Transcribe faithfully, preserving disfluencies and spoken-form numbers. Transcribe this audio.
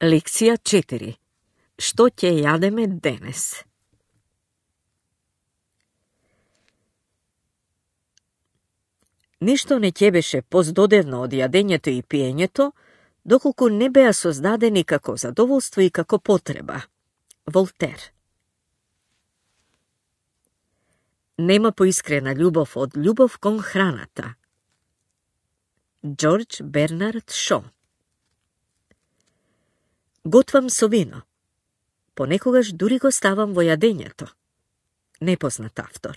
Лекција четири. Што ќе јадеме денес? Ништо не ќе беше поздодевно од јадењето и пиењето, доколку не беа создадени како задоволство и како потреба. Волтер. Нема поискрена љубов од љубов кон храната. Џорџ Бернард Шо. Готвам со вино. Понекогаш дури го ставам во јадењето. Непознат автор.